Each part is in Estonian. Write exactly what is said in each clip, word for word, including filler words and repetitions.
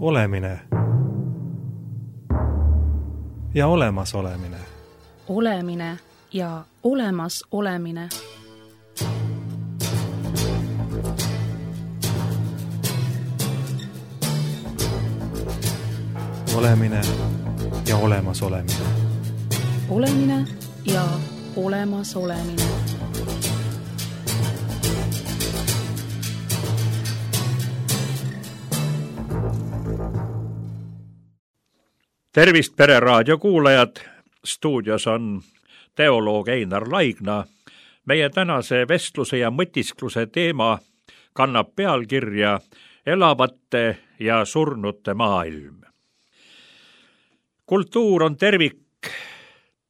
Olemine ja olemasolemine. Olemine ja olemas olemine. Olemine ja olemas olemine. Olemine ja olemas olemine. Tervist, Pereraadio kuulajad! Stuudios on teoloog Einar Laigna. Meie tänase vestluse ja mõtiskluse teema kannab pealkirja Elavate ja surnute maailm. Kultuur on tervik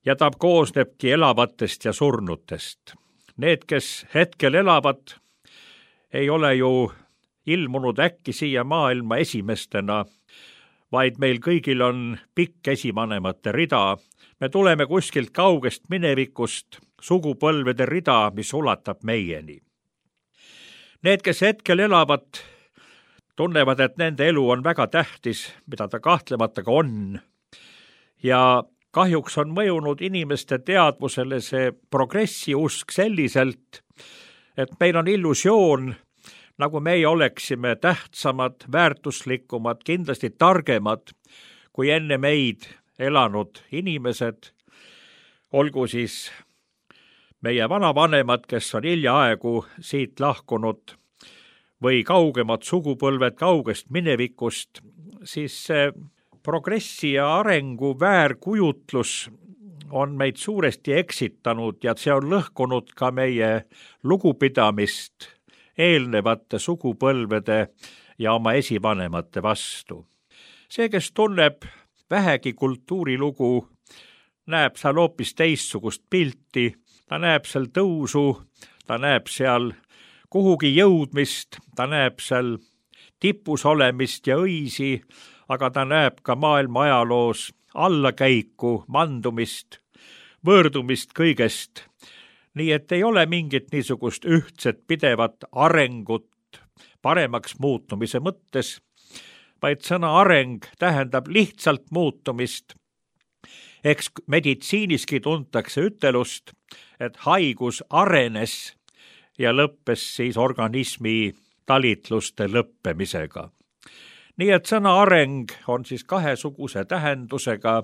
ja ta koosnebki elavatest ja surnutest. Need, kes hetkel elavad, ei ole ju ilmunud äkki siia maailma esimestena, vaid meil kõigil on pikk esivanemate rida. Me tuleme kuskilt kaugest minevikust, sugupõlvede rida, mis ulatab meieni. Need, kes hetkel elavad, tunnevad, et nende elu on väga tähtis, mida ta kahtlemata ka on. Ja kahjuks on mõjunud inimeste teadvusele see progressiusk selliselt, et meil on illusioon, nagu meie oleksime tähtsamad, väärtuslikumad, kindlasti targemad kui enne meid elanud inimesed, olgu siis meie vanavanemad, kes on hiljaaegu siit lahkunud, või kaugemad sugupõlved kaugest minevikust, siis see progressi ja arengu väärkujutlus on meid suuresti eksitanud ja see on lõhkunud ka meie lugupidamist eelnevate sugupõlvede ja oma esivanemate vastu. See, kes tunneb vähegi kultuurilugu, näeb seal hoopis teistsugust pilti, ta näeb seal tõusu, ta näeb seal kuhugi jõudmist, ta näeb seal tipus olemist ja õisi, aga ta näeb ka maailma ajaloos allakäiku, mandumist, võõrdumist kõigest. Nii et ei ole mingit niisugust ühtset pidevat arengut paremaks muutumise mõttes, vaid sõna areng tähendab lihtsalt muutumist. Eks meditsiiniski tuntakse ütelust, et haigus arenes ja lõppes siis organismi talitluste lõppemisega. Nii et sõna areng on siis kahesuguse tähendusega.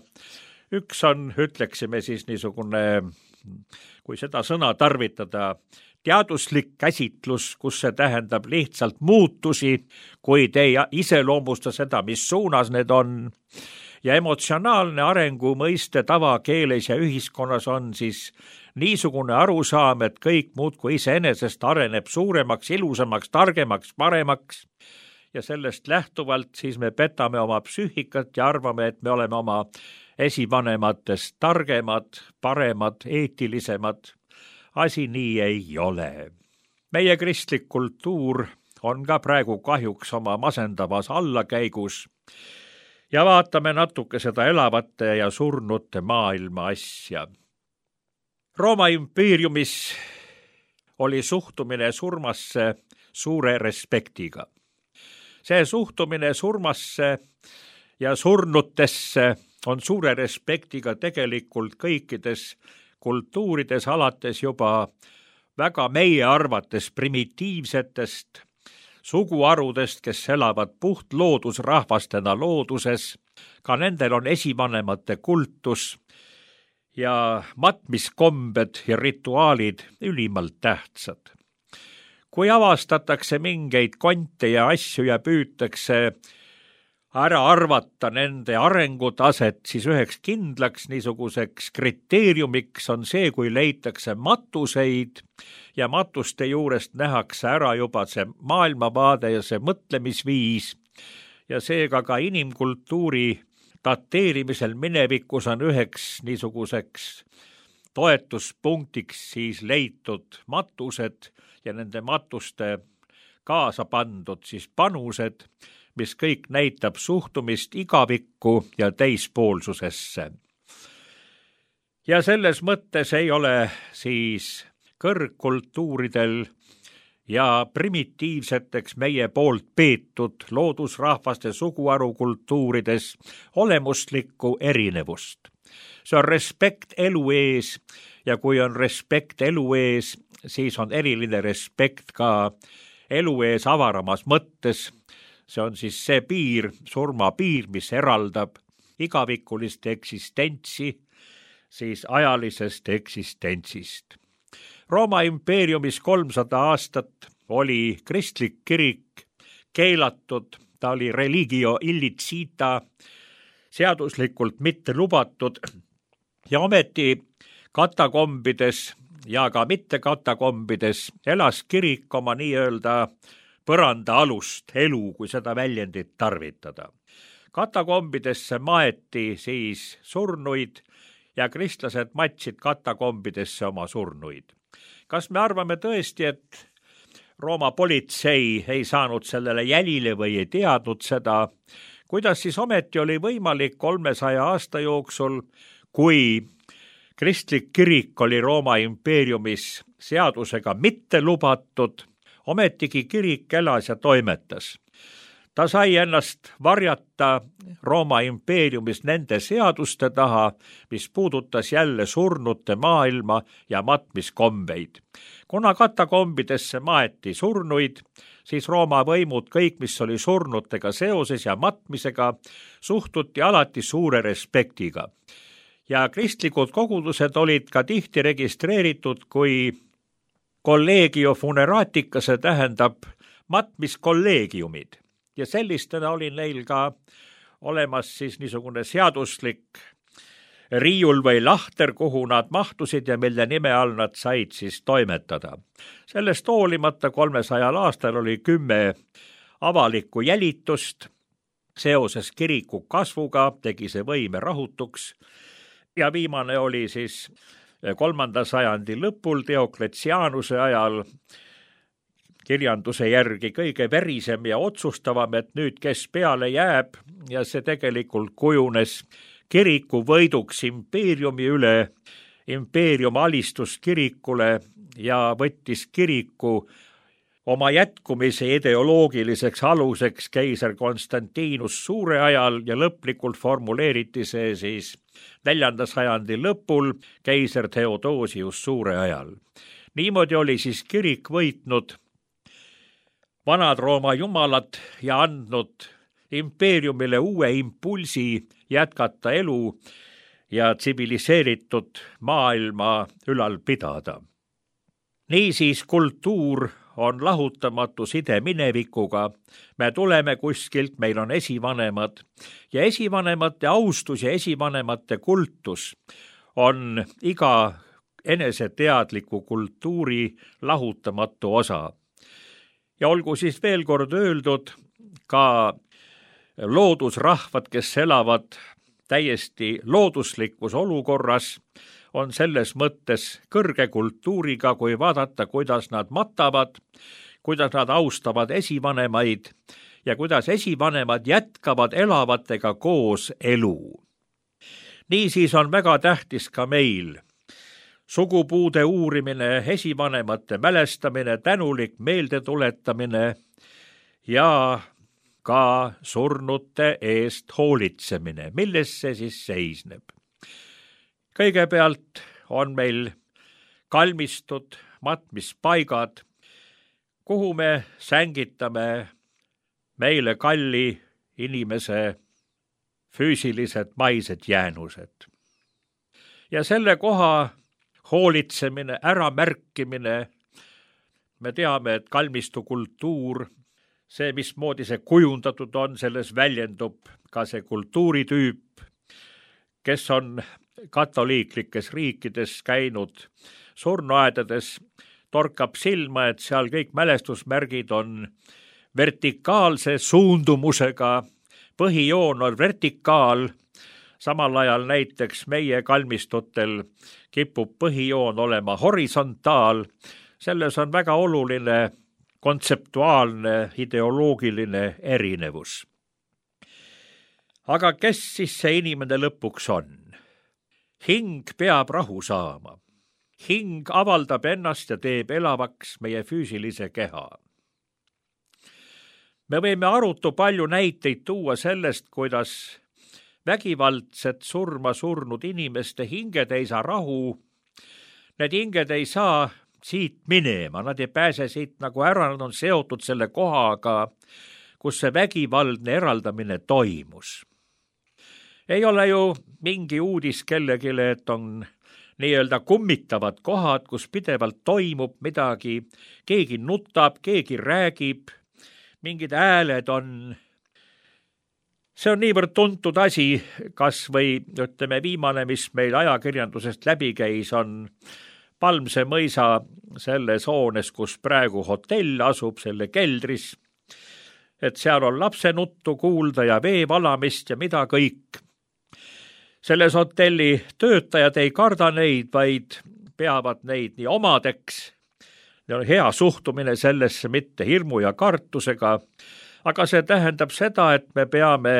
Üks on, ütleksime siis niisugune, kui seda sõna tarvitada, teaduslik käsitlus, kus see tähendab lihtsalt muutusi, kuid ei iseloomusta seda, mis suunas need on. Ja emotsionaalne arengu mõiste tavakeeles ja ühiskonnas on siis niisugune arusaam, et kõik muudkui iseenesest areneb suuremaks, ilusamaks, targemaks, paremaks. Ja sellest lähtuvalt siis me petame oma psüühikat ja arvame, et me oleme oma esivanematest targemad, paremad, eetilisemad. Asi nii ei ole. Meie kristlik kultuur on ka praegu kahjuks oma masendavas allakäigus ja vaatame natuke seda elavate ja surnute maailma asja. Rooma impeeriumis oli suhtumine surmasse suure respektiga. See suhtumine surmasse ja surnutesse on suure respektiga tegelikult kõikides kultuurides, alates juba väga meie arvates primitiivsetest suguharudest, kes elavad puht loodusrahvastena looduses. Ka nendel on esivanemate kultus ja matmiskombed ja rituaalid ülimalt tähtsad. Kui avastatakse mingeid konte ja asju ja püütakse ära arvata nende arengutaset, siis üheks kindlaks niisuguseks kriteeriumiks on see, kui leitakse matuseid ja matuste juurest nähakse ära juba see maailmavaade ja see mõtlemisviis ja seega ka inimkultuuri dateerimisel minevikus on üheks niisuguseks toetuspunktiks siis leitud matused ja nende matuste kaasa pandud siis panused, mis kõik näitab suhtumist igavikku ja teispoolsusesse. Ja selles mõttes ei ole siis kõrgkultuuridel ja primitiivseteks meie poolt peetud loodusrahvaste suguharukultuurides olemuslikku erinevust. See on respekt elu ees ja kui on respekt elu ees, siis on eriline respekt ka elu ees avaramas mõttes. See on siis see piir, surma piir, mis eraldab igavikulist eksistentsi siis ajalisest eksistentsist. Rooma impeeriumis kolmsada aastat oli kristlik kirik keelatud, ta oli religio illicita, seaduslikult mitte lubatud ja ometi katakombides ja ka mitte katakombides elas kirik oma nii-öelda põranda alust elu, kui seda väljendit tarvitada. Katakombidesse maeti siis surnuid ja kristlased matsid katakombidesse oma surnuid. Kas me arvame tõesti, et Rooma politsei ei saanud sellele jälile või ei teadnud seda, kuidas siis ometi oli võimalik kolmesaja aasta jooksul, kui kristlik kirik oli Rooma impeeriumis seadusega mitte lubatud, ometigi kirik elas ja toimetas. Ta sai ennast varjata Rooma impeeriumis nende seaduste taha, mis puudutas jälle surnute maailma ja matmiskombeid. Kuna katakombidesse maeti surnuid, siis Rooma võimud kõik, mis oli surnutega seoses ja matmisega, suhtuti alati suure respektiga. Ja kristlikud kogudused olid ka tihti registreeritud kui collegio funeratica, see tähendab matmiskolleegiumid. Ja sellistena oli neil ka olemas siis niisugune seaduslik riiul või lahter, kuhu nad mahtusid ja mille nime all nad said siis toimetada. Sellest hoolimata kolmesajal aastal oli kümme avalikku jälitust. Seoses kiriku kasvuga tegi see võime rahutuks ja viimane oli siis kolmanda sajandi lõpul Diocletianuse ajal kirjanduse järgi kõige verisem ja otsustavam, et nüüd kes peale jääb ja see tegelikult kujunes kiriku võiduks impeeriumi üle. Impeerium alistus kirikule ja võttis kiriku oma jätkumise ideoloogiliseks aluseks keiser Konstantinus Suure ajal ja lõplikult formuleeriti see siis neljanda sajandi lõpul keiser Theodosius Suure ajal. Niimoodi oli siis kirik võitnud vanad Rooma jumalad ja andnud impeeriumile uue impulsi jätkata elu ja tsiviliseeritud maailma ülal pidada. Niisiis kultuur on lahutamatu side minevikuga. Me tuleme kuskilt, meil on esivanemad ja esivanemate austus ja esivanemate kultus on iga eneseteadliku kultuuri lahutamatu osa. Ja olgu siis veel kord öeldud, ka loodusrahvad, kes elavad täiesti looduslikus olukorras, on selles mõttes kõrge kultuuriga, kui vaadata, kuidas nad matavad, kuidas nad austavad esivanemaid ja kuidas esivanemad jätkavad elavatega koos elu. Niisiis on väga tähtis ka meil sugupuude uurimine, esivanemate mälestamine, tänulik meeldetuletamine ja ka surnute eest hoolitsemine. Milles see siis seisneb? Kõigepealt on meil kalmistud, matmispaigad, kuhu me sängitame meile kalli inimese füüsilised maised jäänused. Ja selle koha hoolitsemine, äramärkimine, me teame, et kalmistu kultuur, see, mismoodi see kujundatud on, selles väljendub ka see kultuuritüüp, kes on katoliiklikes riikides käinud surnuaedades, torkab silma, et seal kõik mälestusmärgid on vertikaalse suundumusega, põhijoon on vertikaal, samal ajal näiteks meie kalmistutel kipub põhijoon olema horisontaal. Selles on väga oluline kontseptuaalne, ideoloogiline erinevus. Aga kes siis see inimene lõpuks on? Hing peab rahu saama. hing avaldab ennast ja teeb elavaks meie füüsilise keha. Me võime arutu palju näiteid tuua sellest, kuidas vägivaldset surma surnud inimeste hinged ei saa rahu. Need hinged ei saa siit minema, nad ei pääse siit nagu ära, nad on seotud selle kohaga, kus see vägivaldne eraldamine toimus. Ei ole ju mingi uudis kellegile, et on nii-öelda kummitavad kohad, kus pidevalt toimub midagi, keegi nutab, keegi räägib, mingid hääled on. See on niivõrd tuntud asi, kas või ütleme viimane, mis meil ajakirjandusest läbi käis, on Palmse mõisa selles hoones, kus praegu hotell asub, selle keldris, et seal on lapsenuttu kuulda ja vee valamist ja mida kõik. Selles hotelli töötajad ei karda neid, vaid peavad neid nii omadeks. Neil on hea suhtumine sellesse, mitte hirmu ja kartusega, aga see tähendab seda, et me peame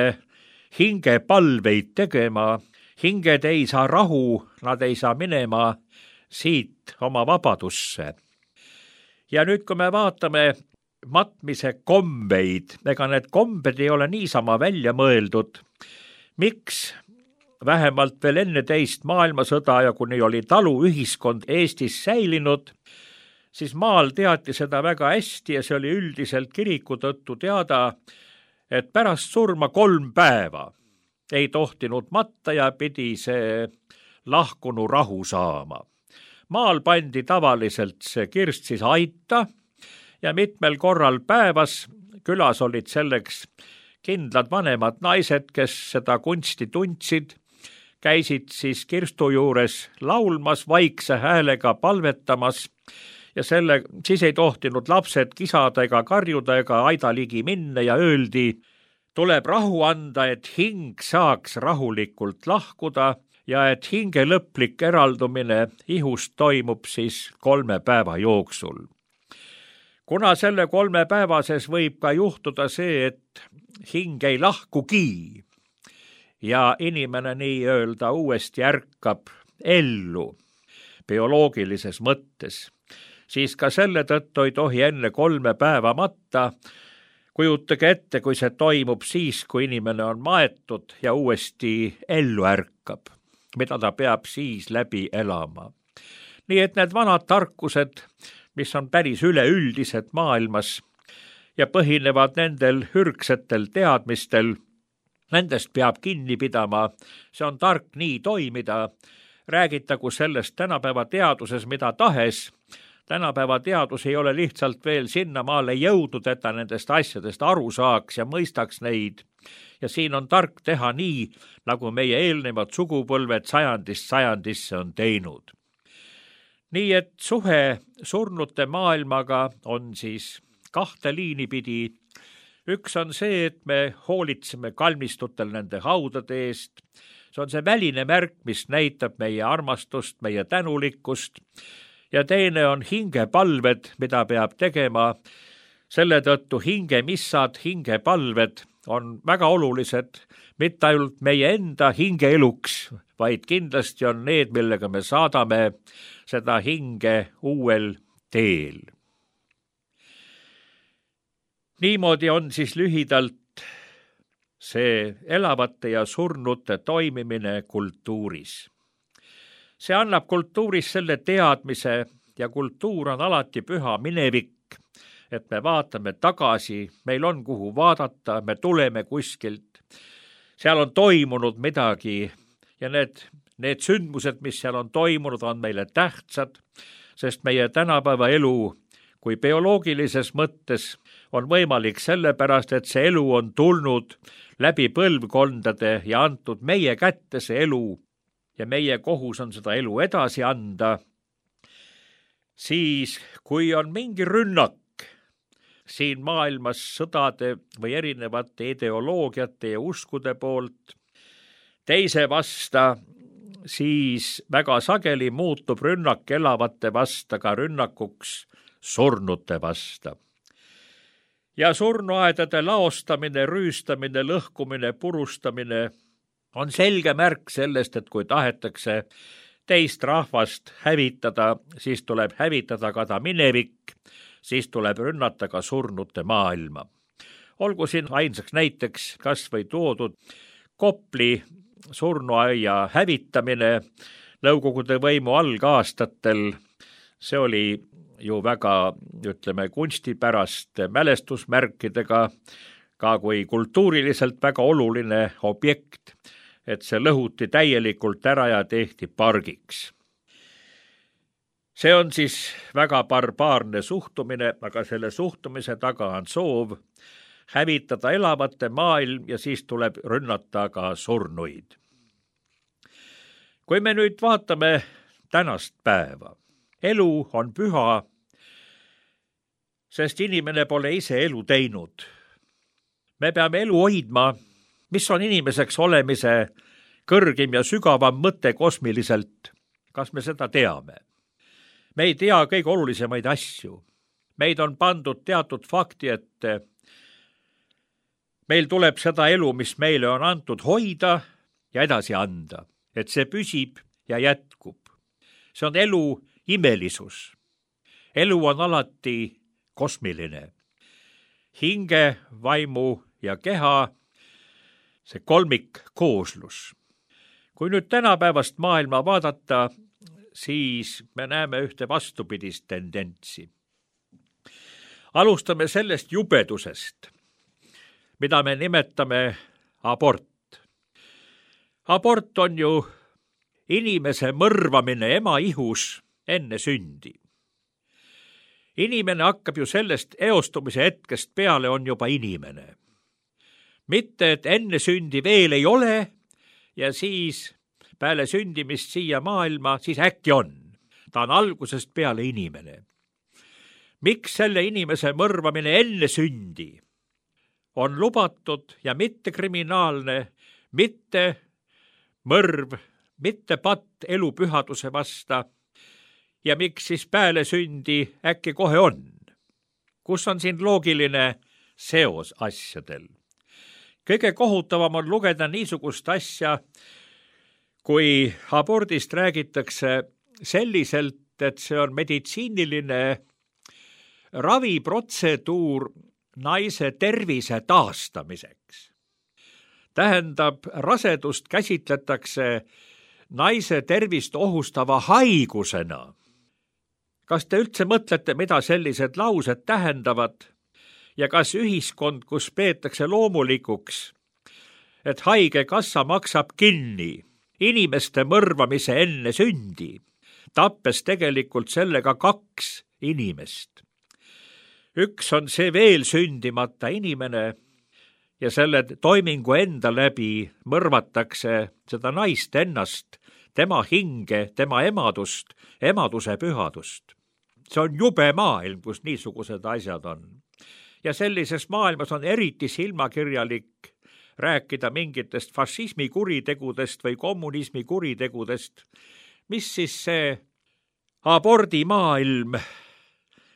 hingepalveid tegema. Hinged ei saa rahu, nad ei saa minema siit oma vabadusse. Ja nüüd, kui me vaatame matmise kombeid, ega need kombed ei ole niisama välja mõeldud. Miks vähemalt veel enne teist maailmasõda ja kuni oli taluühiskond Eestis säilinud, siis maal teati seda väga hästi ja see oli üldiselt kiriku tõttu teada, et pärast surma kolm päeva ei tohtinud matta ja pidi see lahkunu rahu saama. Maal pandi tavaliselt see kirst siis aita ja mitmel korral päevas külas olid selleks kindlad vanemad naised, kes seda kunsti tundsid, käisid siis kirstu juures laulmas, vaikse häälega palvetamas ja selle, siis ei tohtinud lapsed kisada ega karjuda ega aida ligi minna ja öeldi, tuleb rahu anda, et hing saaks rahulikult lahkuda ja et hinge lõplik eraldumine ihust toimub siis kolme päeva jooksul. Kuna selle kolmepäevases võib ka juhtuda see, et hing ei lahkugi ja inimene nii-öelda uuesti ärkab ellu bioloogilises mõttes, siis ka selle tõttu ei tohi enne kolme päeva matta. Kujutage ette, kui see toimub siis, kui inimene on maetud ja uuesti ellu ärkab, mida ta peab siis läbi elama. Nii et need vanad tarkused, mis on päris üleüldised maailmas ja põhinevad nendel hürgsetel teadmistel, nendest peab kinni pidama, see on tark nii toimida, räägitagu sellest tänapäeva teaduses mida tahes. Tänapäeva teadus ei ole lihtsalt veel sinnamaale jõudnud, et ta nendest asjadest aru saaks ja mõistaks neid. Ja siin on tark teha nii, nagu meie eelnevad sugupõlved sajandist sajandisse on teinud. Nii et suhe surnute maailmaga on siis kahte liini pidi. Üks on see, et me hoolitseme kalmistutel nende haudade eest. See on see väline märk, mis näitab meie armastust, meie tänulikkust. Ja teine on hingepalved, mida peab tegema. Selle tõttu hingemissad, hingepalved on väga olulised, mitte ainult meie enda hingeeluks, vaid kindlasti on need, millega me saadame seda hinge uuel teel. Niimoodi on siis lühidalt see elavate ja surnute toimimine kultuuris. See annab kultuuris selle teadmise ja kultuur on alati püha minevik, et me vaatame tagasi, meil on kuhu vaadata, me tuleme kuskilt. Seal on toimunud midagi ja need, need sündmused, mis seal on toimunud, on meile tähtsad, sest meie tänapäeva elu kui bioloogilises mõttes on võimalik sellepärast, et see elu on tulnud läbi põlvkondade ja antud meie kätte see elu ja meie kohus on seda elu edasi anda. Siis, kui on mingi rünnak siin maailmas sõdade või erinevate ideoloogiate ja uskude poolt teise vasta, siis väga sageli muutub rünnak elavate vasta ka rünnakuks surnute vasta. Ja surnuaedade laostamine, rüüstamine, lõhkumine, purustamine on selge märk sellest, et kui tahetakse teist rahvast hävitada, siis tuleb hävitada ka ta minevik, siis tuleb rünnata ka surnute maailma. Olgu siin ainsaks näiteks kas või toodud Kopli surnuaia hävitamine Nõukogude võimu algaastatel. See oli ju väga, ütleme, kunstipärast mälestusmärkidega, ka kui kultuuriliselt väga oluline objekt, et see lõhuti täielikult ära ja tehti pargiks. See on siis väga barbaarne suhtumine, aga selle suhtumise taga on soov hävitada elavate maailm ja siis tuleb rünnata ka surnuid. Kui me nüüd vaatame tänast päeva, elu on püha, sest inimene pole ise elu teinud. Me peame elu hoidma, mis on inimeseks olemise kõrgim ja sügavam mõte kosmiliselt. Kas me seda teame? Me ei tea kõige olulisemaid asju. Meid on pandud teatud fakti, et meil tuleb seda elu, mis meile on antud, hoida ja edasi anda, et see püsib ja jätkub. See on elu imelisus. Elu on alati kosmiline. Hinge, vaimu ja keha, see kolmik kooslus. Kui nüüd tänapäevast maailma vaadata, siis me näeme ühte vastupidist tendentsi. Alustame sellest jubedusest, mida me nimetame abort. Abort on ju inimese mõrvamine ema ihus enne sündi. Inimene hakkab ju sellest eostumise hetkest peale on juba inimene. Mitte, et enne sündi veel ei ole ja siis peale sündimist siia maailma, siis äkki on. Ta on algusest peale inimene. Miks selle inimese mõrvamine enne sündi on lubatud ja mitte kriminaalne, mitte mõrv, mitte patt elu pühaduse vasta ja miks siis peale sündi äkki kohe on? Kus on siin loogiline seos asjadel? Kõige kohutavam on lugeda niisugust asja, kui abordist räägitakse selliselt, et see on meditsiiniline raviprotseduur naise tervise taastamiseks. Tähendab, rasedust käsitletakse naise tervist ohustava haigusena. Kas te üldse mõtlete, mida sellised laused tähendavad ja kas ühiskond, kus peetakse loomulikuks, et haigekassa maksab kinni inimeste mõrvamise enne sündi, tappes tegelikult sellega kaks inimest. Üks on see veel sündimata inimene ja selle toimingu enda läbi mõrvatakse seda naist ennast, tema hinge, tema emadust, emaduse pühadust. See on jube maailm, kus niisugused asjad on. Ja sellises maailmas on eriti silmakirjalik rääkida mingitest fašismi kuritegudest või kommunismi kuritegudest, mis siis see abordimaailm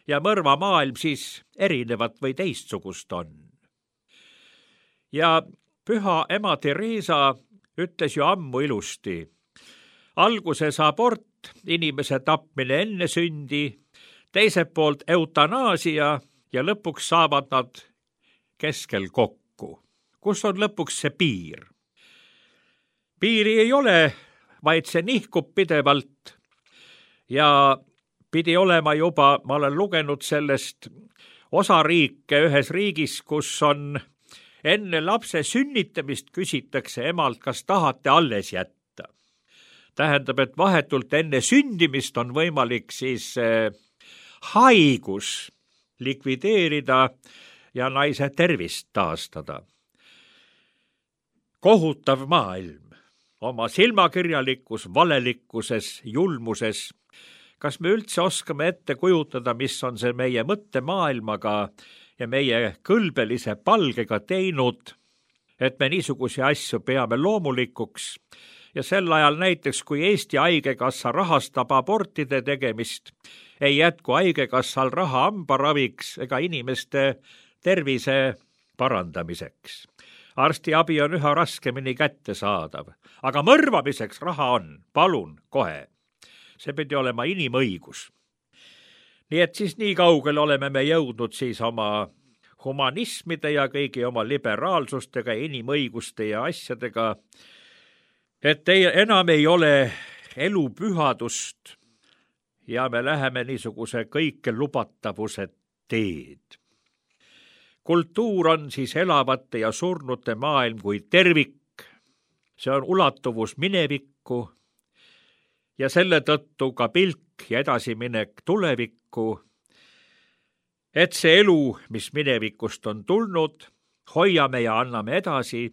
ja mõrvamaailm siis erinevat või teistsugust on. Ja püha ema Teresa ütles ju ammu ilusti, alguses abort, inimese tapmine enne sündi, teiselt poolt eutanaasia ja lõpuks saavad nad keskel kokku. Kus on lõpuks see piir? Piiri ei ole, vaid see nihkub pidevalt ja pidi olema juba, ma olen lugenud sellest osariike ühes riigis, kus on enne lapse sünnitamist küsitakse emalt, kas tahate alles jätta. Tähendab, et vahetult enne sündimist on võimalik siis eh, haigus likvideerida ja naise tervist taastada. Kohutav maailm, oma silmakirjalikus, valelikkuses, julmuses. Kas me üldse oskame ette kujutada, mis on see meie mõttemaailmaga ja meie kõlbelise palgega teinud, et me niisugusi asju peame loomulikuks ja sel ajal näiteks, kui Eesti Haigekassa rahastab abortide tegemist, ei jätku Haigekassal raha hambaraviks ega inimeste tervise parandamiseks. Arstiabi on üha raskemini kättesaadav, aga mõrvamiseks raha on, palun kohe. see pidi olema inimõigus. nii et siis nii kaugel oleme me jõudnud siis oma humanismide ja kõigi oma liberaalsustega, inimõiguste ja asjadega, et ei, enam ei ole elu pühadust ja me läheme niisuguse kõike lubatavuse teed. Kultuur on siis elavate ja surnute maailm kui tervik, see on ulatuvus minevikku ja selle tõttu ka pilk ja edasiminek tulevikku, et see elu, mis minevikust on tulnud, hoiame ja anname edasi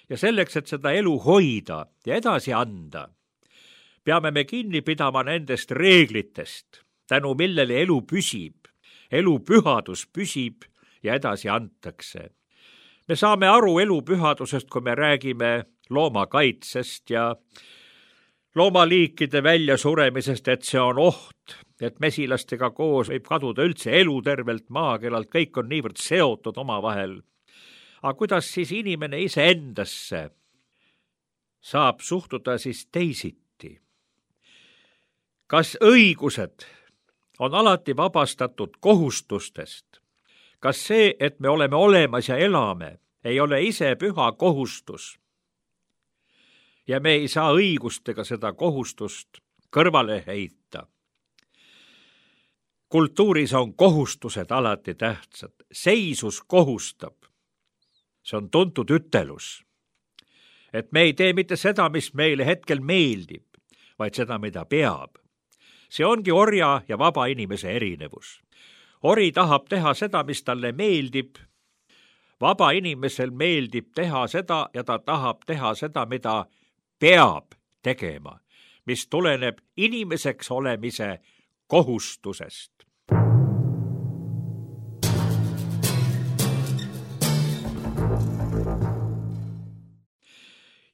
ja selleks, et seda elu hoida ja edasi anda, peame me kinni pidama nendest reeglitest, tänu millele elu püsib, elu pühadus püsib ja edasi antakse. Me saame aru elu pühadusest, kui me räägime loomakaitsest ja loomaliikide väljasuremisest, et see on oht, et mesilastega koos võib kaduda üldse elu tervelt maakeelalt, kõik on niivõrd seotud omavahel. Aga kuidas siis inimene iseendasse saab suhtuda siis teisiti? Kas õigused on alati vabastatud kohustustest? Kas see, et me oleme olemas ja elame, ei ole ise püha kohustus? Ja me ei saa õigustega seda kohustust kõrvale heita. Kultuuris on kohustused alati tähtsad. Seisus kohustab. See on tuntud ütelus. Et me ei tee mitte seda, mis meile hetkel meeldib, vaid seda, mida peab. See ongi orja ja vaba inimese erinevus. Ori tahab teha seda, mis talle meeldib. Vaba inimesel meeldib teha seda ja ta tahab teha seda, mida peab tegema, mis tuleneb inimeseks olemise kohustusest.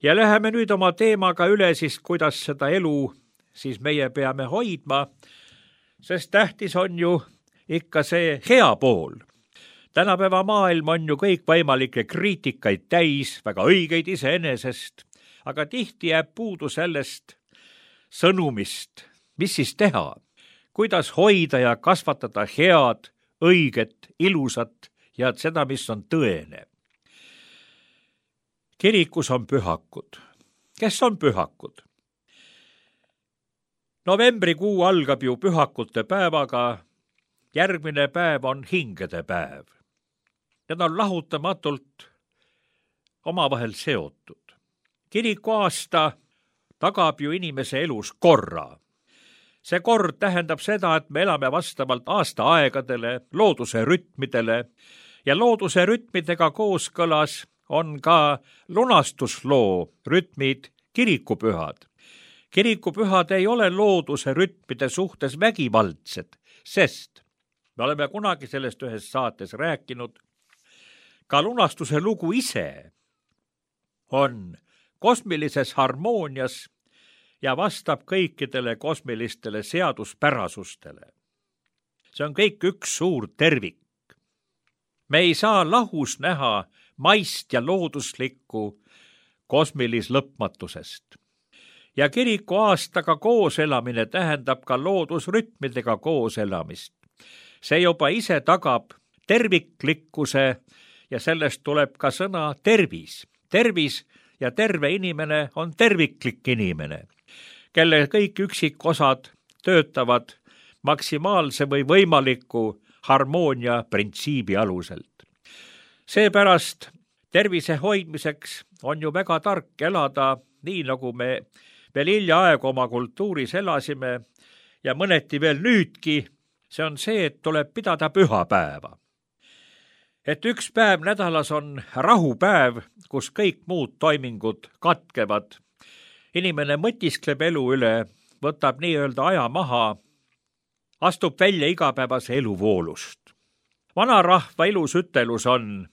Ja läheme nüüd oma teemaga üle siis, kuidas seda elu siis meie peame hoidma, sest tähtis on ju ikka see hea pool. Tänapäeva maailm on ju kõik võimalikke kriitikaid täis, väga õigeid iseenesest, aga tihti jääb puudu sellest sõnumist, mis siis teha, kuidas hoida ja kasvatada head, õiget, ilusat ja seda, mis on tõene. Kirikus on pühakud. Kes on pühakud? Novembrikuu algab ju pühakute päevaga, järgmine päev on hingede päev. Need on lahutamatult omavahel seotud. Kiriku aasta tagab ju inimese elus korra. See kord tähendab seda, et me elame vastavalt aastaaegadele, looduse rütmidele ja looduse rütmidega kooskõlas on ka lunastusloo rütmid kirikupühad. Kirikupühad ei ole looduse rütmide suhtes vägivaldsed, sest me oleme kunagi sellest ühes saates rääkinud, ka lunastuse lugu ise on kosmilises harmoonias ja vastab kõikidele kosmilistele seaduspärasustele. See on kõik üks suur tervik. Me ei saa lahus näha maist ja looduslikku kosmilislõpmatusest. Ja kiriku aastaga kooselamine tähendab ka loodusrütmidega kooselamist. See juba ise tagab terviklikkuse ja sellest tuleb ka sõna tervis. Tervis ja terve inimene on terviklik inimene, kelle kõik üksikosad töötavad maksimaalse või võimaliku harmoonia printsiibi aluselt. Seepärast tervise hoidmiseks on ju väga tark elada nii, nagu me veel hiljaaegu oma kultuuris elasime ja mõneti veel nüüdki, see on see, et tuleb pidada pühapäeva. Et üks päev nädalas on rahupäev, kus kõik muud toimingud katkevad. Inimene mõtiskleb elu üle, võtab nii-öelda aja maha, astub välja igapäevase eluvoolust. Vanarahva ilus ütelus on,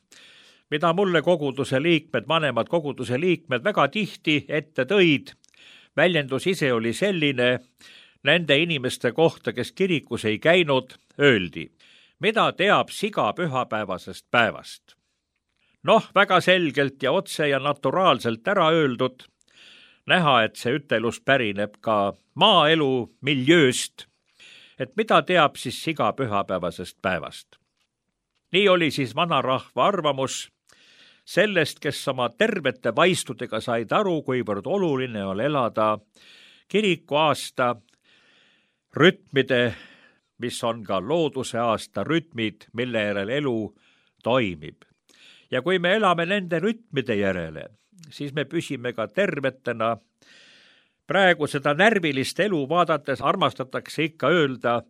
mida mulle koguduse liikmed, vanemad koguduse liikmed väga tihti ette tõid. Väljendus ise oli selline, nende inimeste kohta, kes kirikus ei käinud, öeldi, mida teab siga pühapäevasest päevast. Noh, väga selgelt ja otse ja naturaalselt ära öeldud, näha, et see ütelus pärineb ka maaelu miljööst, et mida teab siis iga pühapäevasest päevast. Nii oli siis vanarahva arvamus sellest, kes oma tervete vaistudega said aru, kuivõrd oluline on elada kirikuaasta rütmide, mis on ka looduse aasta rütmid, mille järel elu toimib. Ja kui me elame nende rütmide järele, siis me püsime ka tervetena. Praegu seda närvilist elu vaadates armastatakse ikka öelda,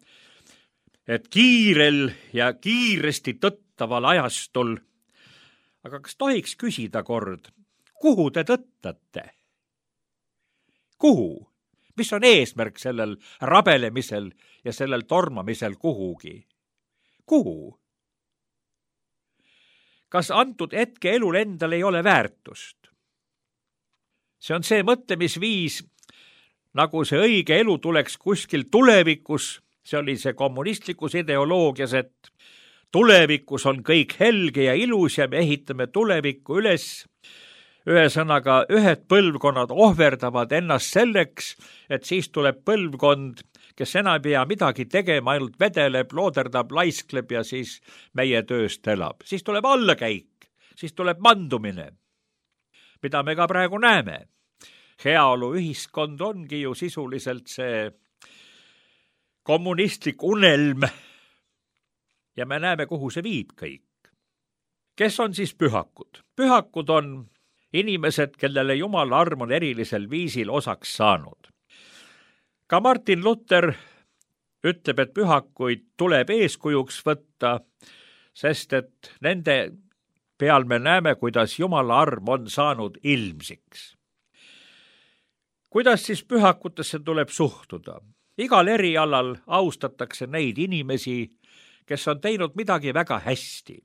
et kiirel ja kiiresti tõttaval ajastul. Aga kas tohiks küsida kord, kuhu te tõttate? Kuhu? Mis on eesmärk sellel rabelemisel ja sellel tormamisel kuhugi? Kuhu? Kas antud hetke elul endal ei ole väärtust? See on see mõtlemisviis, nagu see õige elu tuleks kuskil tulevikus, see oli see kommunistlikus ideoloogias, et tulevikus on kõik helge ja ilus ja me ehitame tulevikku üles. Ühesõnaga, ühed põlvkonnad ohverdavad ennast selleks, et siis tuleb põlvkond, kes enam ei pea midagi tegema, ainult vedeleb, looderdab, laiskleb ja siis meie tööst elab. Siis tuleb allakäik, siis tuleb mandumine, mida me ka praegu näeme. Heaolu ühiskond ongi ju sisuliselt see kommunistlik unelm ja me näeme, kuhu see viib kõik. Kes on siis pühakud? Pühakud on inimesed, kellele Jumala arm on erilisel viisil osaks saanud. Ka Martin Luther ütleb, et pühakuid tuleb eeskujuks võtta, sest et nende peal me näeme, kuidas Jumala arm on saanud ilmsiks. Kuidas siis pühakutesse tuleb suhtuda? Igal erialal austatakse neid inimesi, kes on teinud midagi väga hästi.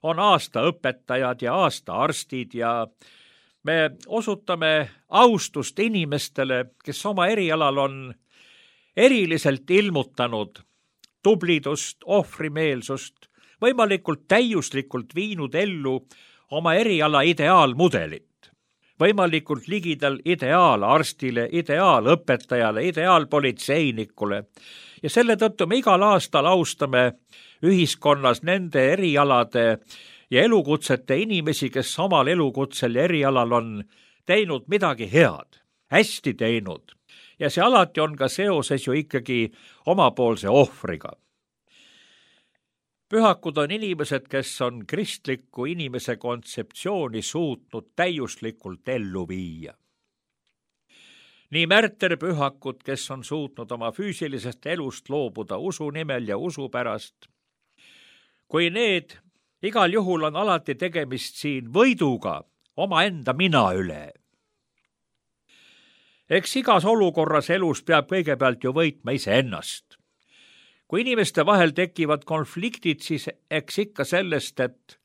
On aastaõpetajad ja aastaarstid ja me osutame austust inimestele, kes oma erialal on eriliselt ilmutanud tublidust, ohvrimeelsust, võimalikult täiuslikult viinud ellu oma eriala ideaalmudelit. Võimalikult ligidal ideaalarstile, ideaalõpetajale, ideaalpolitseinikule. Ja selle tõttu me igal aastal austame ühiskonnas nende erialade ja elukutsete inimesi, kes omal elukutsel ja erialal on teinud midagi head, hästi teinud. Ja see alati on ka seoses ju ikkagi omapoolse ohvriga. Pühakud on inimesed, kes on kristliku inimese kontseptsiooni suutnud täiuslikult ellu viia. Nii märterpühakud, kes on suutnud oma füüsilisest elust loobuda usu nimel ja usu pärast, kui need, igal juhul on alati tegemist siin võiduga omaenda mina üle. Eks igas olukorras elus peab kõigepealt ju võitma iseennast. Kui inimeste vahel tekivad konfliktid, siis eks ikka sellest, et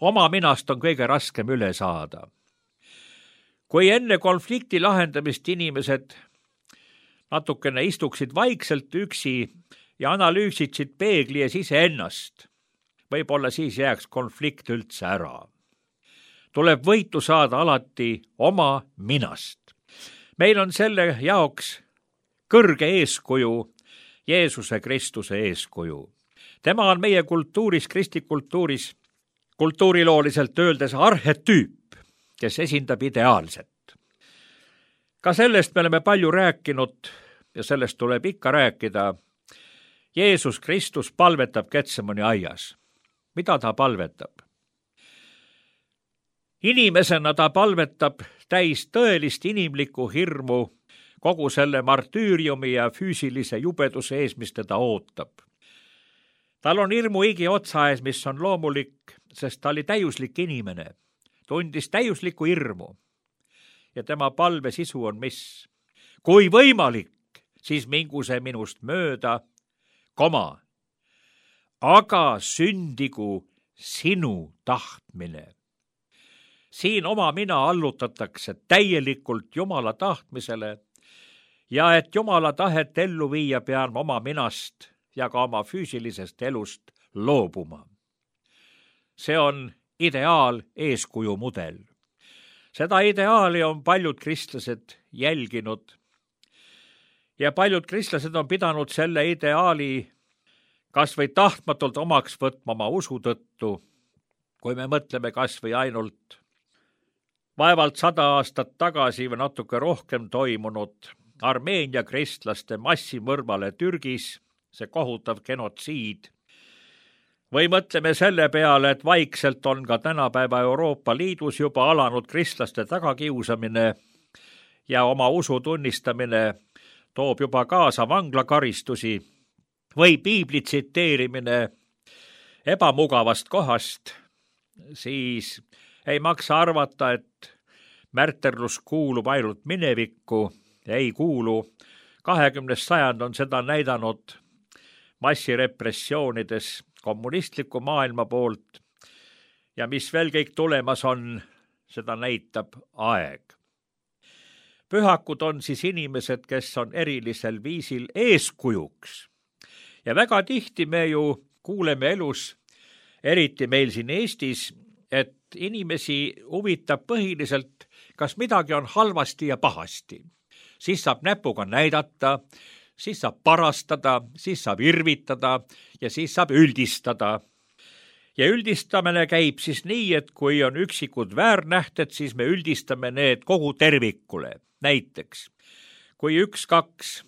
oma minast on kõige raskem üle saada. Kui enne konflikti lahendamist inimesed natukene istuksid vaikselt üksi ja analüüsiksid peegli ees iseennast, võib-olla siis jääks konflikt üldse ära. Tuleb võitu saada alati oma minast. Meil on selle jaoks kõrge eeskuju, Jeesuse Kristuse eeskuju. Tema on meie kultuuris, kristlikultuuris, kultuurilooliselt öeldes arhetüüp, kes esindab ideaalset. Ka sellest me oleme palju rääkinud ja sellest tuleb ikka rääkida. Jeesus Kristus palvetab Getsemani aias. Mida ta palvetab? Inimesena ta palvetab täis tõelist inimlikku hirmu kogu selle martüüriumi ja füüsilise jubeduse ees, mis teda ootab. Tal on hirmu igi otsa ees, mis on loomulik, sest ta oli täiuslik inimene, tundis täiuslikku hirmu. Ja tema palve sisu on mis? Kui võimalik, siis mingu see minust mööda, koma, aga sündigu sinu tahtmine. Siin oma mina allutatakse täielikult Jumala tahtmisele, ja et Jumala tahet ellu viia, pean oma minast ja ka oma füüsilisest elust loobuma. See on ideaal eeskuju mudel. seda ideaali on paljud kristlased jälginud ja paljud kristlased on pidanud selle ideaali kas või tahtmatult omaks võtma oma usu tõttu, kui me mõtleme kas või ainult vaevalt sada aastat tagasi või natuke rohkem toimunud Armeenia kristlaste massimõrvale Türgis, see kohutav genotsiid. Või mõtleme selle peale, et vaikselt on ka tänapäeva Euroopa Liidus juba alanud kristlaste tagakiusamine ja oma usu tunnistamine toob juba kaasa vanglakaristusi või piibli tsiteerimine ebamugavast kohast, siis ei maksa arvata, et märterlus kuulub ainult minevikku, ei kuulu. kahekümnes sajand on seda näidanud massirepressioonides kommunistliku maailma poolt ja mis veel kõik tulemas on, seda näitab aeg. Pühakud on siis inimesed, kes on erilisel viisil eeskujuks ja väga tihti me ju kuuleme elus, eriti meil siin Eestis, et inimesi huvitab põhiliselt, kas midagi on halvasti ja pahasti. Siis saab näpuga näidata, siis saab parastada, siis saab irvitada ja siis saab üldistada. Ja üldistamine käib siis nii, et kui on üksikud väärnähted, siis me üldistame need kogu tervikule. Näiteks, kui üks-kaks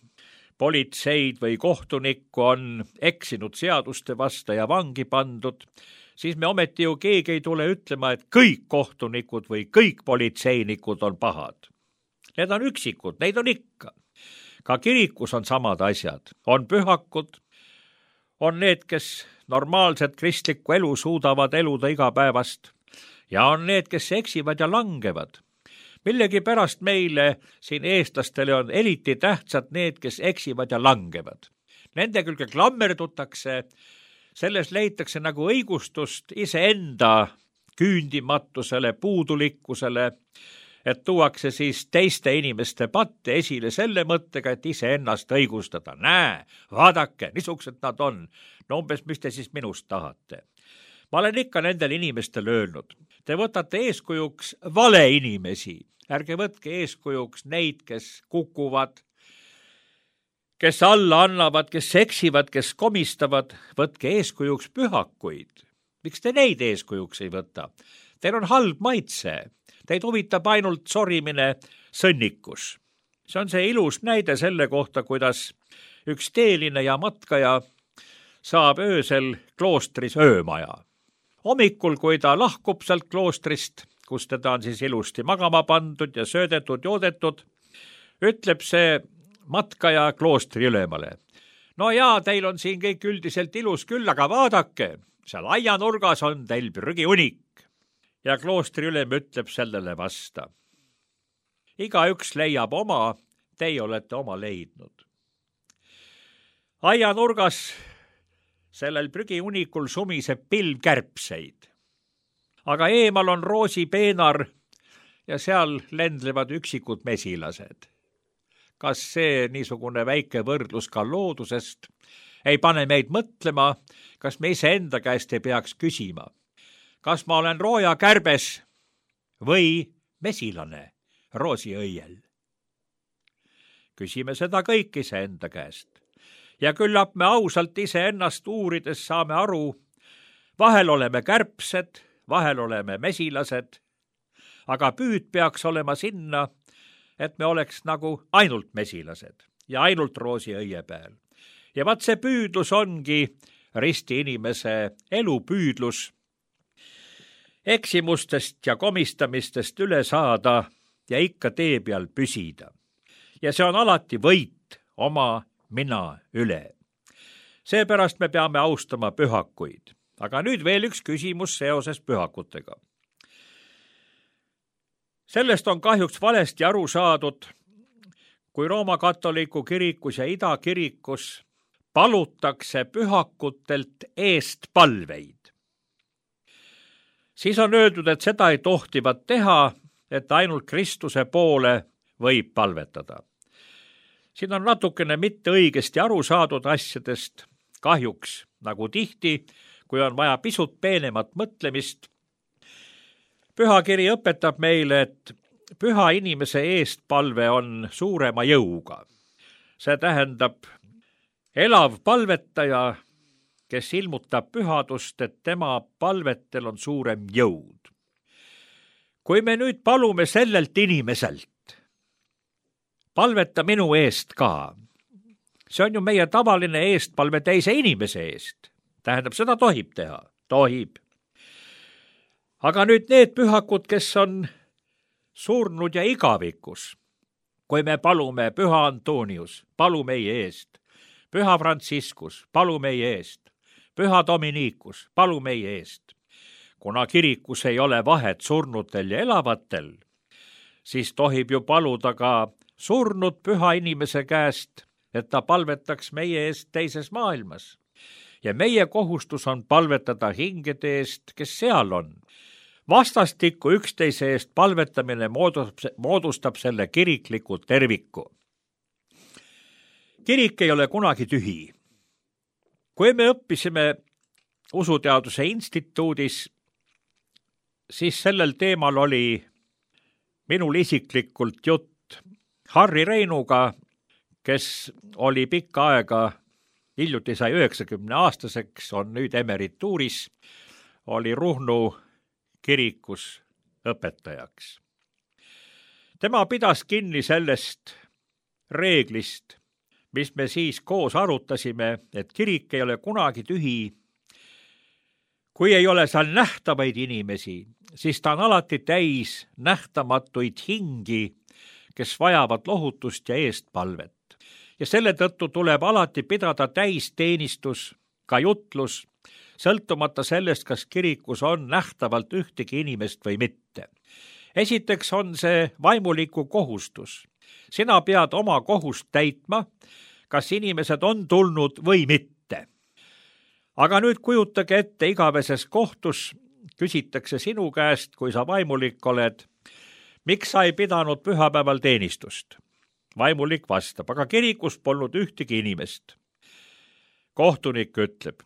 politseid või kohtunikku on eksinud seaduste vasta ja vangi pandud, siis me ometi ju keegi ei tule ütlema, et kõik kohtunikud või kõik politseinikud on pahad. Need on üksikud, neid on ikka. Ka kirikus on samad asjad. On pühakud, on need, kes normaalset kristlikku elu suudavad eluda igapäevast ja on need, kes eksivad ja langevad. Millegi pärast meile siin eestlastele on eriti tähtsad need, kes eksivad ja langevad. Nende külge klammerdutakse, selles leitakse nagu õigustust iseenda küündimatusele, puudulikkusele, et tuuakse siis teiste inimeste patte esile selle mõttega, et iseennast õigustada. Näe, vaadake, niisugused nad on. No umbes, mis te siis minust tahate? Ma olen ikka nendel inimestel öelnud. Te võtate eeskujuks vale inimesi. Ärge võtke eeskujuks neid, kes kukuvad, kes alla annavad, kes seksivad, kes komistavad. Võtke eeskujuks pühakuid. Miks te neid eeskujuks ei võta? Teil on halb maitse. Teid huvitab ainult sorimine sõnnikus. See on see ilus näide selle kohta, kuidas üks teeline ja matkaja saab öösel kloostris öömaja. Hommikul, kui ta lahkub sealt kloostrist, kus teda on siis ilusti magama pandud ja söödetud, joodetud, ütleb see matkaja kloostri ülemale. No jaa, teil on siin kõik üldiselt ilus küll, aga vaadake, seal aianurgas on teil prügiunik. Ja kloostri ülem ütleb sellele vasta. Igaüks leiab oma, teie olete oma leidnud. Aianurgas sellel prügiunikul sumiseb pilv kärbseid. Aga eemal on roosipeenar ja seal lendlevad üksikud mesilased. Kas see niisugune väike võrdlus ka loodusest ei pane meid mõtlema, kas me ise enda käest ei peaks küsima? Kas ma olen rooja kärbes või mesilane roosiõiel? Küsime seda kõik ise enda käest. Ja küllap me ausalt ise ennast uurides saame aru, vahel oleme kärbsed, vahel oleme mesilased, aga püüd peaks olema sinna, et me oleks nagu ainult mesilased ja ainult roosiõie peal. Ja vaat see püüdlus ongi risti inimese elupüüdlus, eksimustest ja komistamistest üle saada ja ikka tee peal püsida. Ja see on alati võit oma mina üle. Seepärast me peame austama pühakuid. Aga nüüd veel üks küsimus seoses pühakutega. Sellest on kahjuks valesti aru saadud, kui Rooma katoliku kirikus ja idakirikus palutakse pühakutelt eest palveid. Siis on öeldud, et seda ei tohtivat teha, et ainult Kristuse poole võib palvetada. Siin on natukene mitte õigesti aru saadud asjadest, kahjuks nagu tihti, kui on vaja pisut peenemat mõtlemist. Pühakiri õpetab meile, et püha inimese eestpalve on suurema jõuga. See tähendab elav palvetaja, kes ilmutab pühadust, et tema palvetel on suurem jõud. Kui me nüüd palume sellelt inimeselt, palveta minu eest ka, see on ju meie tavaline eestpalve teise inimese eest. Tähendab, seda tohib teha, tohib. Aga nüüd need pühakud, kes on surnud ja igavikus, kui me palume püha Antonius, palu meie eest, püha Franciscus, palu meie eest, püha Dominikus, palu meie eest. Kuna kirikus ei ole vahet surnutel ja elavatel, siis tohib ju paluda ka surnud püha inimese käest, et ta palvetaks meie eest teises maailmas. Ja meie kohustus on palvetada hingede eest, kes seal on. Vastastikku üksteise eest palvetamine moodustab selle kirikliku terviku. Kirik ei ole kunagi tühi. Kui me õppisime usuteaduse instituudis, siis sellel teemal oli minul isiklikult jutt Harri Reinuga, kes oli pikka aega, hiljuti sai üheksakümne aastaseks, on nüüd emerituuris, oli Ruhnu kirikus õpetajaks. Tema pidas kinni sellest reeglist, mis me siis koos arutasime, et kirik ei ole kunagi tühi. Kui ei ole seal nähtavaid inimesi, siis ta on alati täis nähtamatuid hingi, kes vajavad lohutust ja eestpalvet. Ja selle tõttu tuleb alati pidada täisteenistus, ka jutlus, sõltumata sellest, kas kirikus on nähtavalt ühtegi inimest või mitte. Esiteks on see vaimuliku kohustus. Sina pead oma kohust täitma, kas inimesed on tulnud või mitte. Aga nüüd kujutage ette, igaveses kohtus küsitakse sinu käest, kui sa vaimulik oled, miks sa ei pidanud pühapäeval teenistust? Vaimulik vastab, aga kirikus polnud ühtegi inimest. Kohtunik ütleb,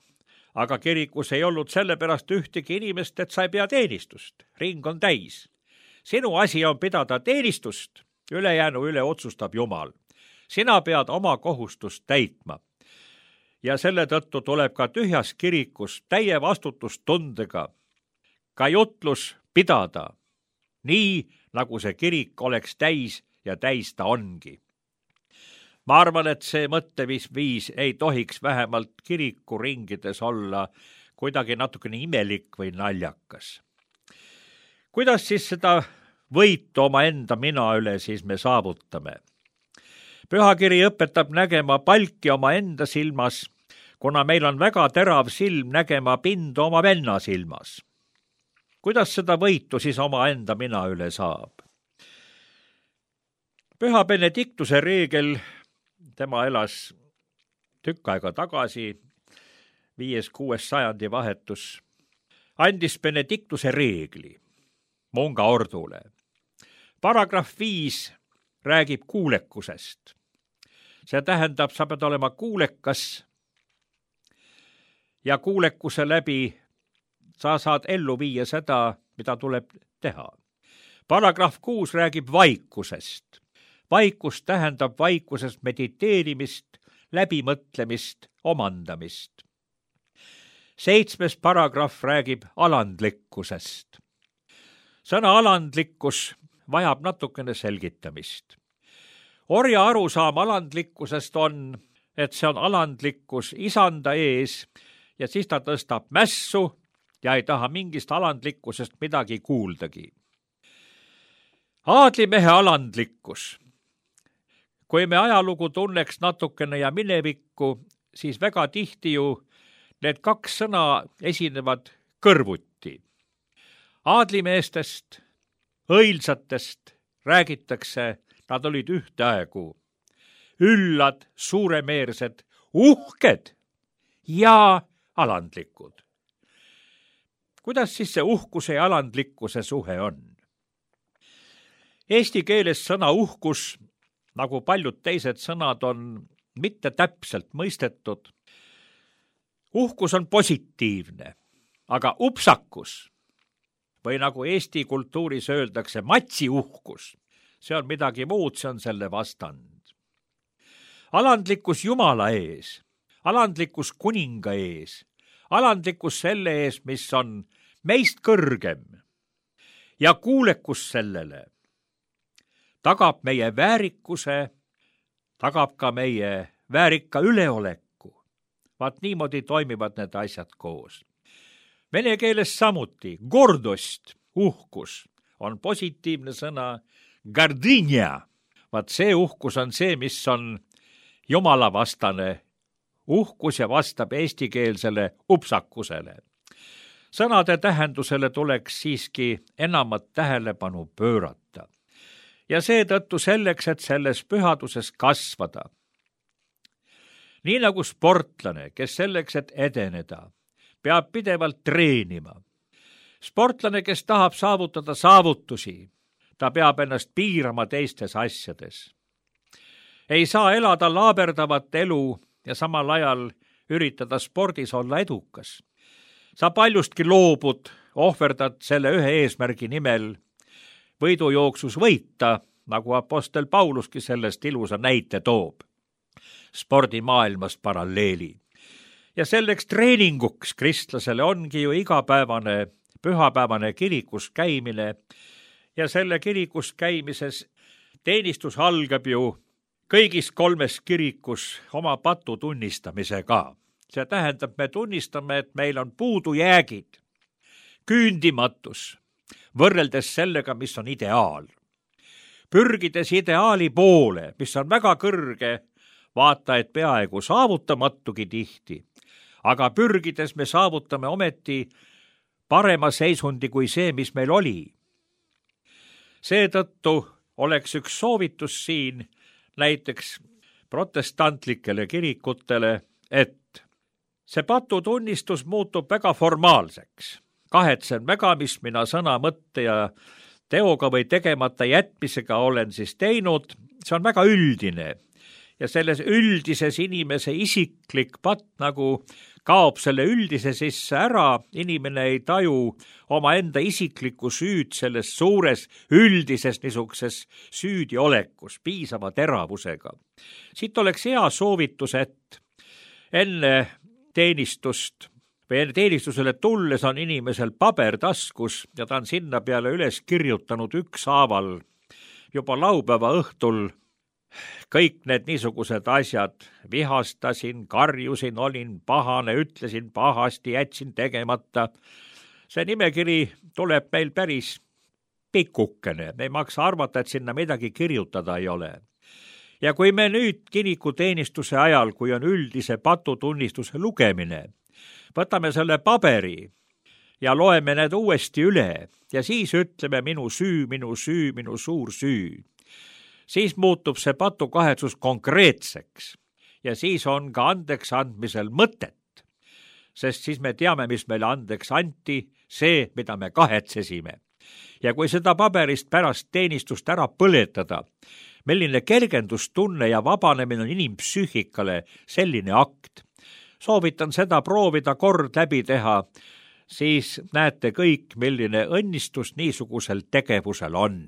aga kirikus ei olnud sellepärast ühtegi inimest, et sa ei pea teenistust. Ring on täis. Sinu asi on pidada teenistust, ülejäänu üle otsustab Jumal. Sina pead oma kohustust täitma. Ja selle tõttu tuleb ka tühjas kirikus täie vastutustundega ka jutlus pidada, nii nagu see kirik oleks täis ja täis ta ongi. Ma arvan, et see mõtteviis ei tohiks vähemalt kirikuringides olla kuidagi natukene imelik või naljakas. Kuidas siis seda võitu oma enda mina üle siis me saavutame? Pühakiri õpetab nägema palki oma enda silmas, kuna meil on väga terav silm nägema pinda oma venna silmas. Kuidas seda võitu siis oma enda mina üle saab? Püha Benediktuse reegel, tema elas tükk aega tagasi, viies kuues sajandi vahetus, andis Benediktuse reegli munga ordule. Paragrahv viis räägib kuulekusest. See tähendab, sa pead olema kuulekas ja kuulekuse läbi sa saad ellu viia seda, mida tuleb teha. Paragrahv kuus räägib vaikusest. Vaikus tähendab vaikusest mediteerimist, läbimõtlemist, omandamist. Seitsmes paragrahv räägib alandlikkusest. Sõna alandlikkus vajab natukene selgitamist. Orja arusaam alandlikkusest on, et see on alandlikkus isanda ees ja siis ta tõstab mässu ja ei taha mingist alandlikkusest midagi kuuldagi. Aadlimehe alandlikkus. Kui me ajalugu tunneks natukene ja minevikku, siis väga tihti ju need kaks sõna esinevad kõrvuti. Aadlimeestest, õilsatest räägitakse, nad olid ühtaegu üllad, suuremeersed, uhked ja alandlikud. Kuidas siis see uhkuse ja alandlikkuse suhe on? Eesti keeles sõna uhkus, nagu paljud teised sõnad, on mitte täpselt mõistetud. Uhkus on positiivne, aga upsakus või nagu eesti kultuuris öeldakse, matsiuhkus. See on midagi muud, see on selle vastand. Alandlikkus Jumala ees, alandlikkus kuninga ees, alandlikkus selle ees, mis on meist kõrgem ja kuulekus sellele tagab meie väärikuse, tagab ka meie väärika üleoleku. Vaat niimoodi toimivad need asjad koos. Vene keeles samuti gordost, uhkus, on positiivne sõna gardinja. Vaat see uhkus on see, mis on Jumala vastane uhkus ja vastab eestikeelsele upsakusele. Sõnade tähendusele tuleks siiski enamat tähelepanu pöörata. Ja seetõttu selleks, et selles pühaduses kasvada. Nii nagu sportlane, kes selleks, et edeneda, peab pidevalt treenima. Sportlane, kes tahab saavutada saavutusi, ta peab ennast piirama teistes asjades. Ei saa elada laaberdavat elu ja samal ajal üritada spordis olla edukas. Sa paljustki loobud, ohverdad selle ühe eesmärgi nimel võidujooksus võita, nagu apostel Pauluski sellest ilusa näite toob. Spordimaailmast paralleeli. Ja selleks treeninguks kristlasele ongi ju igapäevane, pühapäevane kirikus käimine ja selle kirikus käimises teenistus algab ju kõigis kolmes kirikus oma patu tunnistamisega. See tähendab, me tunnistame, et meil on puudujäägid, küündimatus, võrreldes sellega, mis on ideaal. Pürgides ideaali poole, mis on väga kõrge, vaata, et peaaegu saavutamatugi tihti, aga pürgides me saavutame ometi parema seisundi kui see, mis meil oli. Seetõttu oleks üks soovitus siin näiteks protestantlikele kirikutele, et see patutunnistus muutub väga formaalseks. Kahetsen väga, mis mina sõna, mõtte ja teoga või tegemata jätmisega olen siis teinud, see on väga üldine. Ja selles üldises inimese isiklik patt nagu kaob selle üldise sisse ära, inimene ei taju oma enda isiklikku süüd selles suures üldises niisuguses süüdiolekus, piisava teravusega. Siit oleks hea soovitus, et enne teenistust või enne teenistusele tulles on inimesel paber taskus ja ta on sinna peale üles kirjutanud ükshaaval juba laupäeva õhtul kõik need niisugused asjad, vihastasin, karjusin, olin pahane, ütlesin pahasti, jätsin tegemata. See nimekiri tuleb meil päris pikukene, me ei maksa arvata, et sinna midagi kirjutada ei ole. Ja kui me nüüd kirikuteenistuse ajal, kui on üldise patutunnistuse lugemine, võtame selle paberi ja loeme need uuesti üle ja siis ütleme minu süü, minu süü, minu suur süü. Siis muutub see patukahetsus konkreetseks ja siis on ka andeks andmisel mõtet, sest siis me teame, mis meile andeks anti, see, mida me kahetsesime. Ja kui seda paberist pärast teenistust ära põletada, milline kergendustunne ja vabanemine on inimpsüühikale selline akt. Soovitan seda proovida kord läbi teha, siis näete kõik, milline õnnistus niisugusel tegevusel on.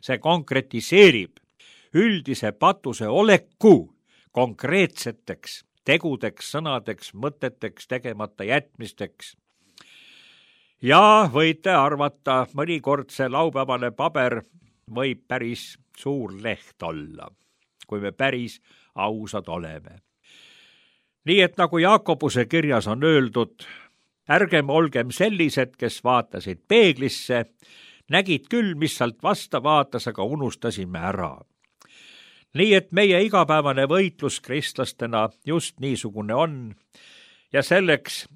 See konkretiseerib üldise patuse oleku konkreetseteks tegudeks, sõnadeks, mõteteks, tegemata jätmisteks. Ja võite arvata, mõnikord see laupäevane paber võib päris suur leht olla, kui me päris ausad oleme. Nii et nagu Jaakobuse kirjas on öeldud, ärgem olgem sellised, kes vaatasid peeglisse, nägid küll, mis sealt vasta vaatas, aga unustasime ära. Nii et meie igapäevane võitlus kristlastena just niisugune on ja selleks,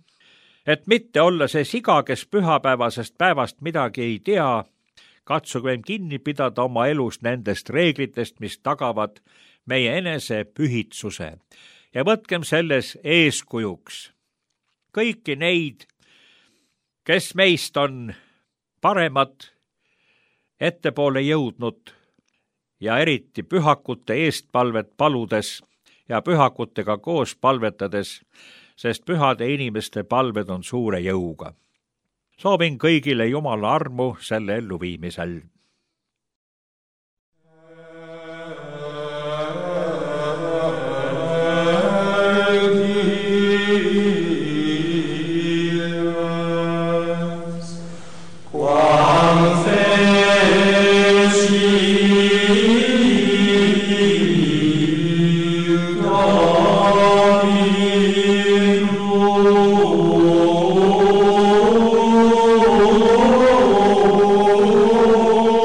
et mitte olla see siga, kes pühapäevasest päevast midagi ei tea, katsugem kinni pidada oma elus nendest reeglitest, mis tagavad meie enese pühitsuse ja võtkem selles eeskujuks kõiki neid, kes meist on paremad ettepoole jõudnud ja eriti pühakute eestpalvet paludes ja pühakutega koos palvetades, sest pühade inimeste palved on suure jõuga. soovin kõigile Jumala armu selle elluviimisel. Oh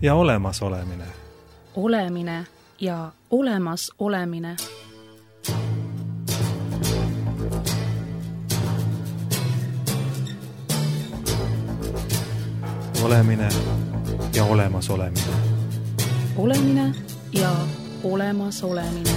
ja olemasolemine. Olemine ja olemas olemine. Olemine ja olemas olemine. Olemine ja olemas olemine.